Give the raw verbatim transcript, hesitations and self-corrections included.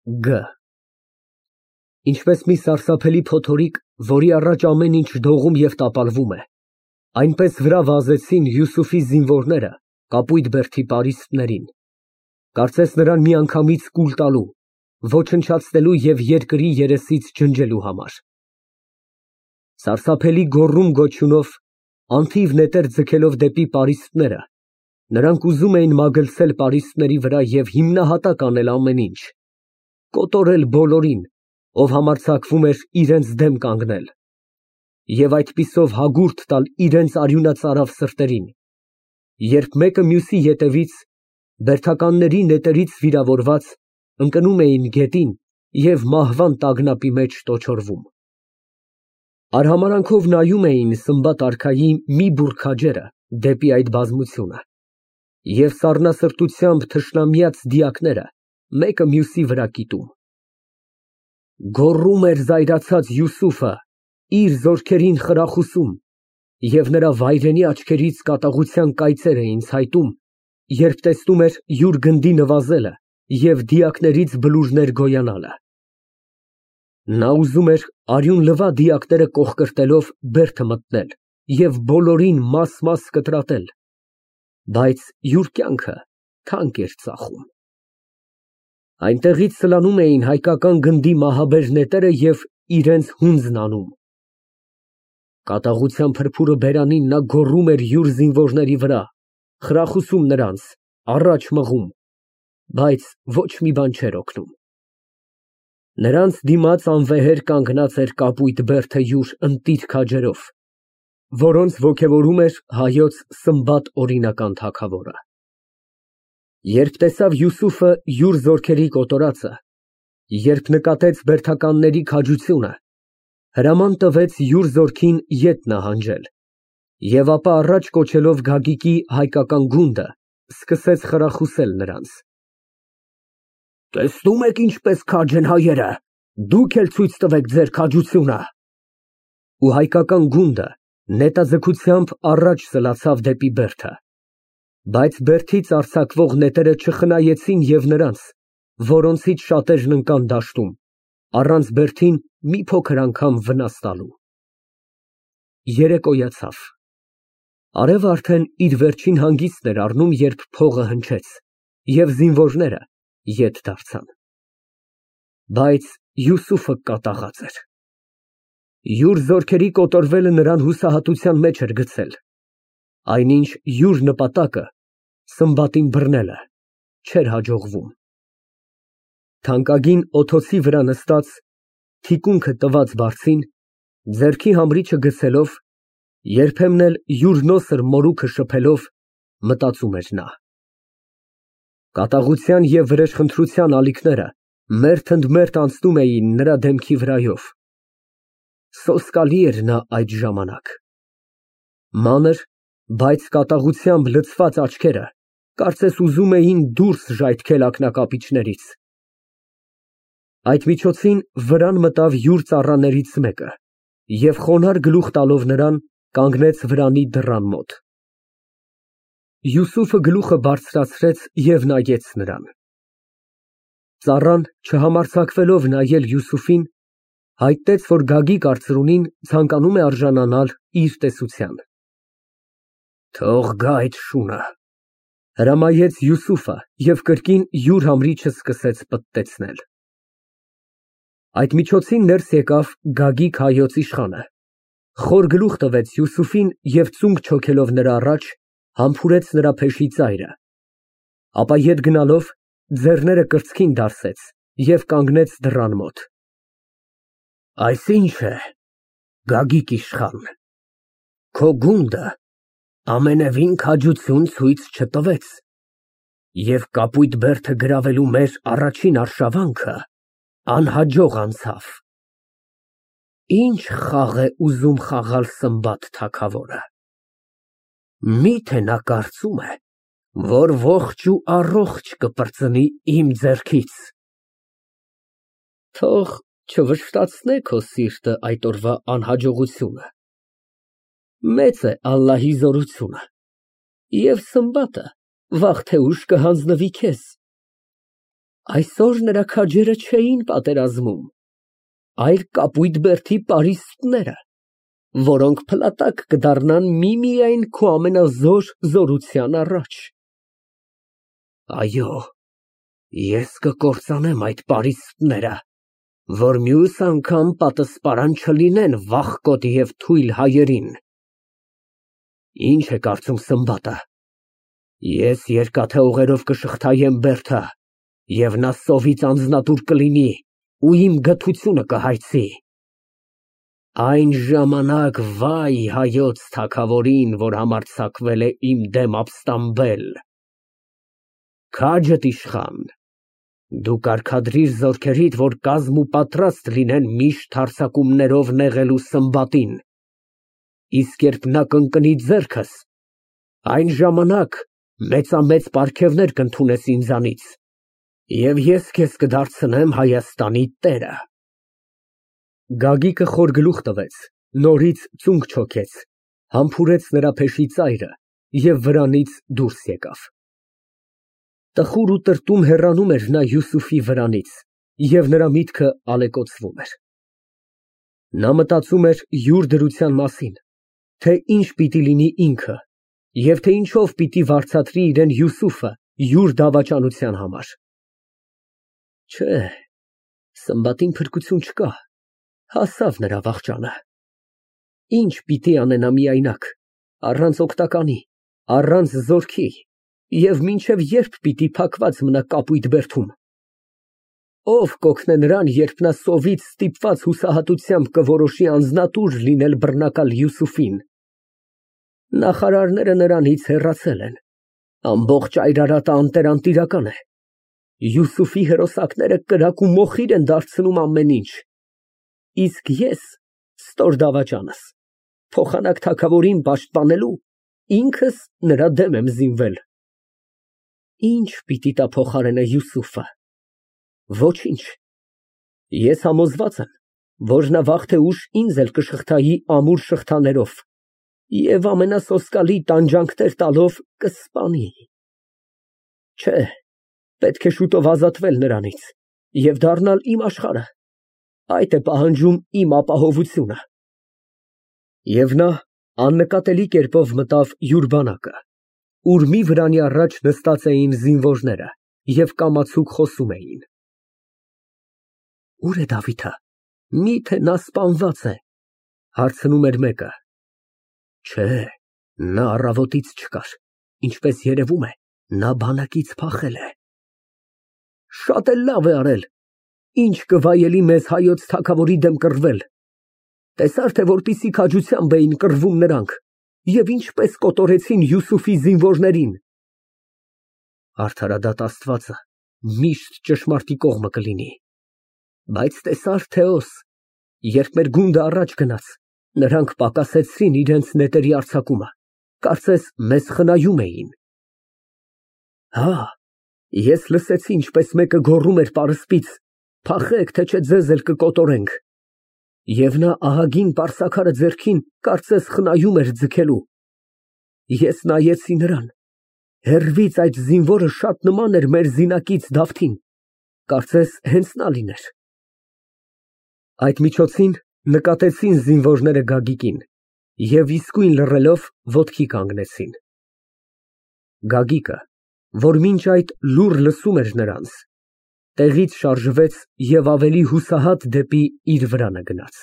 Գ Ինչպես մի սարսափելի փոթորիկ, որի առաջ ամեն ինչ դողում և տապալվում է, այնպես վրա վազեցին Յուսուֆի զինվորները կապույտ բերդի պարիսպներին, կարծես նրան միանգամից կուլ տալու, ոչնչացնելու և երկրի երեսից ջնջելու համար։ Սարսափելի գոռում֊գոչյունով, անթիվ նետեր ձգելով դեպի պարիսպները, նրանք ուզում էին մագլցել պարիսպների վրա և հիմնահատակ անել ամեն ինչ, կոտորել բոլորին, ով համարձակվում էր իրենց դեմ կանգնել, և այդպիսով հագուրդ տալ իրենց արյունածարավ սրտերին, երբ մեկը մյուսի ետևից, բերդականների նետերից վիրավորված, ընկնում էին գետին և մահվան տագնապի մեջ տոչորվում։ Արհամարհանքով նայում էին Սմբատ արքայի մի բուռ քաջերը դեպի այդ բազմությունը, և սառնասրտությամբ թշնամյաց դիակները մեկը մյուսի վրա կիտում։ Գոռում էր զայրացած Յուսուֆը, իր զորքերին խրախուսում, և նրա վայրենի աչքերից կատաղության կայծեր էին ցայտում, երբ տեսնում էր յուր գնդի նվազելը և դիակներից բլուրներ գոյանալը։ Նա ուզում էր արյուն լվա դիակները կոխկրտելով բերդը մտնել և բոլորին մաս֊մաս կտրատել, բայց յուր կյանքը թանկ էր ծախում։ Այնտեղից սլանում էին հայկական գնդի մահաբեր նետերը և իրենց հունձն անում։ Կատաղության փրփուրը բերանին նա գոռում էր յուր զինվորների վրա, խրախուսում նրանց, առաջ մղում, բայց ոչ մի բան չէր օգնում։ Նրանց դիմաց անվեհեր կանգնած էր կապույտ բերդը յուր ընտիր քաջերով, որոնց ոգևորում էր հայոց Սմբատ օրինական թագավորը։ Երբ տեսավ Յուսուֆը յուր զորքերի կոտորածը, երբ նկատեց բերդականների քաջությունը, հրաման տվեց յուր զորքին ետ նահանջել, և ապա առաջ կոչելով Գագիկի հայկական գունդը, սկսեց խրախուսել նրանց. Տեսնո՞ւմ եք ինչպես քաջ են հայերը, դուք էլ ցույց տվեք ձեր քաջությունը։ Ու հայկական գունդը նետաձգությամբ առաջ սլացավ դեպի բերդը, բայց բերդից արձակվող նետերը չխնայեցին և նրանց, որոնցից շատերն ընկան դաշտում, առանց բերդին մի փոքր անգամ վնաս տալու։ Երեկոյացավ, արևը արդեն իր վերջին հանգիստն էր առնում, երբ փողը հնչեց, և զինվորները ետ դարձան։ Բայց Յուսուֆը կատաղած էր։ Յուր զորքերի կոտորվելը նրան հուսահատության մեջ էր գցել, այնինչ յուր նպատակը՝ Սմբատին բռնելը, չէր հաջողվում։ Թանկագին օթոցի վրա նստած, թիկունքը տված բարձին, ձեռքի համրիչը գցելով, երբեմն էլ յուր նոսր մորուքը շփելով, մտածում էր նա։ Կատաղության և վրեժխնդրության ալիքները մերթ ընդ մերթ անցնում էին նրա դեմքի վրայով։ Սոսկալի էր նա այդ ժամանակ։ Մանր, բայց կատաղությամբ լցված աչքերը կարծես ուզում էին դուրս ժայթքել ակնակապիճներից։ Այդ միջոցին վրան մտավ յուր ծառաներից մեկը և խոնարհ գլուխ տալով նրան, կանգնեց վրանի դռան մոտ։ Յուսուֆը գլուխը բարձրացրեց և նայեց նրան։ Ծառան, չհամարձակվելով նայել Յուսուֆին, հայտնեց, որ Գագիկ արծրունին ցանկանում է արժանանալ իր տեսության։ Թող գա այդ շունը, հրամայեց Յուսուֆը և կրկին յուր համրիչը սկսեց պտտեցնել։ Այդ միջոցին ներս եկավ Գագիկ հայոց իշխանը, խոր գլուխ տվեց Յուսուֆին և ծունկ չոքելով նրա առաջ, համբուրեց նրա փեշի ծայրը, ապա ետ գնալով, ձեռները կրծքին դարսեց և կանգնեց դռան մոտ։ Այս ի՞նչ է, Գագիկ իշխան, քո գունդը ամենևին քաջություն ցույց չտվեց, և կապույտ բերդը գրավելու մեր առաջին արշավանքը անհաջող անցավ։ Ի՞նչ խաղ է ուզում խաղալ Սմբատ թագավորը։ Մի՞թե նա կարծում է, որ ողջ ու առողջ կպրծնի իմ ձեռքից։ Թող չվշտացնե քո սիրտը այդ օրվա անհաջողությունը։ Մեծ է Ալլահի զորությունը, և Սմբատը վաղ թե ուշ կհանձնվի քեզ։ Այսօր նրա քաջերը չէին պատերազմում, այլ կապույտ բերդի պարիսպները, որոնք փլատակ կդառնան միմիայն քո ամենազոր զորության առաջ։ Այո, ես կկործանեմ այդ պարիսպները, որ մյուս անգամ պատասպարան չլինեն վախկոտ և թույլ հայերին։ Ինչ է կարծում Սմբատը, ես երկաթե ուղերով կշղթայեմ բերդը, և նա սովից անձնատուր կլինի ու իմ գթությունը կհայցի։ Այն ժամանակ վայ հայոց թագավորին, որ համարձակվել է իմ դեմ ապստամբել։ Քաջդ իշխան, դու կարգադրիր զորքերիդ, որ կազմ ու պատրաստ լինեն միշտ հարձակումներով նեղելու Սմբատին, իսկ երբ նա կընկնի ձեռքս, այն ժամանակ մեծամեծ պարգևներ կընդունես ինձանից, և ես քեզ կդարձնեմ Հայաստանի տերը։ Գագիկը խոր գլուխ տվեց, նորից ծունկ չոքեց, համբուրեց նրա փեշի ծայրը և վրանից դուրս եկավ։ Տխուր ու տրտում հեռանում էր նա Յուսուֆի վրանից, և նրա միտքը ալեկոծվում էր։ Նա մտածում էր յուր դրության մասին, թե ինչ պիտի լինի ինքը, և թե ինչով պիտի վարձատրի իրան Յուսուֆը յուր դավաճանության համար։ Չէ, Սմբատին փրկություն չկա, հասավ նրա վախճանը։ Ինչ պիտի անենա միայնակ, առանց օգտականի, առանց զորքի, և մինչև ե՞րբ պիտի փակված մնա կապույտ բերդում։ Ո՞վ կօգնե նրան, երբ նա սովից ստիպված հուսահատությամբ կորոշի անձնատուր լինել բռնակալ Յուսուֆին։ Նախարարները նրանից հեռացել են, ամբողջ այրարատը անտերանտիրական է, Յուսուֆի հրոսակները կրակ ու մոխիր են դարձնում ամեն ինչ, իսկ ես, ստոր դավաճանս, փոխանակ թագավորին պաշտպանելու, ինքս նրա դեմ եմ զինվել։ Ինչ պիտի տա փոխարենը Յուսուֆը։ Ոչինչ։ Ես համոզված եմ, որ նա վաղ թե ուշ ինձ էլ կշղթայի ամուր շղթաներով և ամենասոսկալի տանջանքներ տալով կսպանի։ Չէ, պետք է շուտով ազատվել նրանից և դառնալ իմ աշխարհը, այդ է պահանջում իմ ապահովությունը։ Եվ նա աննկատելի կերպով մտավ յուր բանակը, ուր մի վրանի առաջ նստած էին զինվորները և կամացուկ խոսում էին։ Ո՞ւր է Դավիթը, մի՞թե նա սպանված է, հարցնում էր մեկը։ Չէ, նա առավոտից չկար, ինչպես երևում է, նա բանակից փախել է։ Շատ էլ լավ է արել, ինչ կվայելի մեզ հայոց թագավորի դեմ կռվել։ Տեսա՞ր, թե որպիսի քաջությամբ էին կռվում նրանք և ինչպես կոտորեցին Յուսուֆի զինվորներին։ Արդարադատ Աստվածը միշտ ճշմարտի կողմը կլինի։ Բայց տեսա՞ր, Թեոս, երբ մեր գունդը առաջ գնաց, նրանք պակասեցրին իրենց նետերի արձակումը, կարծես մեզ խնայում էին։ Հա, ես լսեցի, ինչպես մեկը գոռում էր պարսպից. «Փախեք, թե չէ ձեզ էլ կկոտորենք»։ Եվ նա ահագին պարսաքարը ձեռքին, կարծես խնայում էր ձգելու։ Ես նայեցի նրան, հեռվից այդ զինվորը շատ նման էր մեր զինակից Դավթին, կարծես հենց նա լիներ։ Այդ միջոցին նկատեցին զինվորները Գագիկին և իսկույն լռելով ոտքի կանգնեցին։ Գագիկը, որ մինչ այդ լուռ լսում էր նրանց, տեղից շարժվեց և ավելի հուսահատ դեպի իր վրանը գնաց։